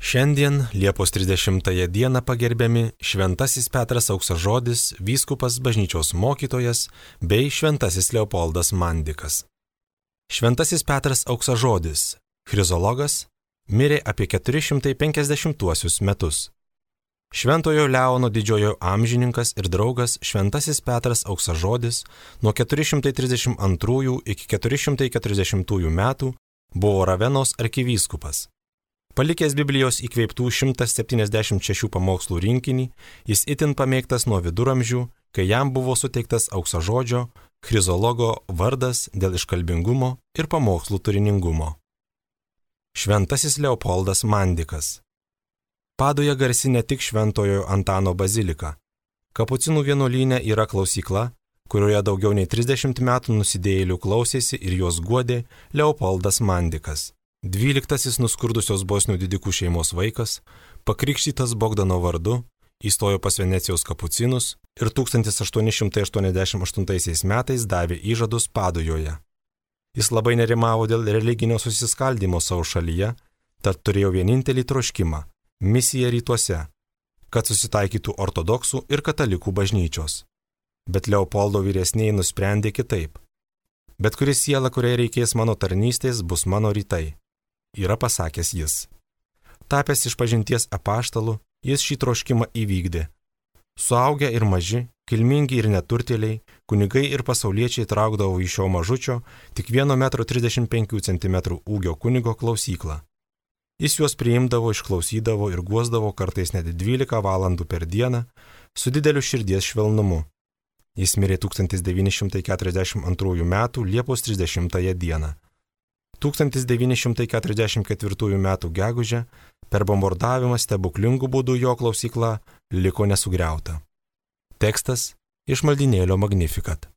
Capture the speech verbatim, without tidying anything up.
Šiandien, Liepos trisdešimtąją dieną pagerbiami Šventasis Petras Auksažodis, vyskupas, bažnyčios mokytojas bei Šventasis Leopoldas Mandikas. Šventasis Petras Auksažodis, chrizologas, mirė apie keturi šimtai penkiasdešimtuosius metus. Šventojo Leono didžiojo amžininkas ir draugas Šventasis Petras Auksažodis nuo keturi šimtai trisdešimt antrųjų iki keturi šimtai keturiasdešimtųjų metų buvo Ravenos arkivyskupas. Palikęs Biblijos įkvėptų šimtas septyniasdešimt šešių pamokslų rinkinį, jis itin pamėgtas nuo viduramžių, kai jam buvo suteiktas auksažodžio, chrizologo vardas dėl iškalbingumo ir pamokslų turiningumo. Šventasis Leopoldas Mandikas. Padoje garsi ne tik Šventojo Antano bazilika. Kapucinų vienuolyne yra klausykla, kurioje daugiau nei trisdešimt metų nusidėjėlių klausėsi ir juos guodė Leopoldas Mandikas. Dvyliktasis nuskurdusios bosnių didikų šeimos vaikas, pakrikštytas Bogdano vardu, įstojo pas Venecijos kapucinus ir tūkstantis aštuoni šimtai aštuoniasdešimt aštuntaisiais metais davė įžadus Padujoje. Jis labai nerimavo dėl religinio susiskaldimo savo šalyje, tad turėjo vienintelį troškimą – misiją rytuose, kad susitaikytų ortodoksų ir katalikų bažnyčios. Bet Leopoldo vyresnieji nusprendė kitaip. Bet kuri siela, kuriai reikės mano tarnystės, bus mano rytai, yra pasakęs jis. Tapęs išpažinties apaštalu, jis šį troškimą įvykdė. Suaugę ir maži, kilmingi ir neturtėliai, kunigai ir pasauliečiai traukdavo į šio mažučio, tik vieno metro trisdešimt penkių centimetrų ūgio kunigo klausyklą. Jis juos priimdavo, išklausydavo ir guosdavo kartais net dvylika valandų per dieną, su dideliu širdies švelnumu. Jis mirė tūkstantis devyni šimtai keturiasdešimt antrųjų metų Liepos trisdešimtąją dieną. tūkstantis devyni šimtai keturiasdešimt ketvirtųjų metų gegužę per bombardavimą stebuklingų būdų jo klausykla liko nesugriauta. Tekstas iš maldynėlio Magnificat.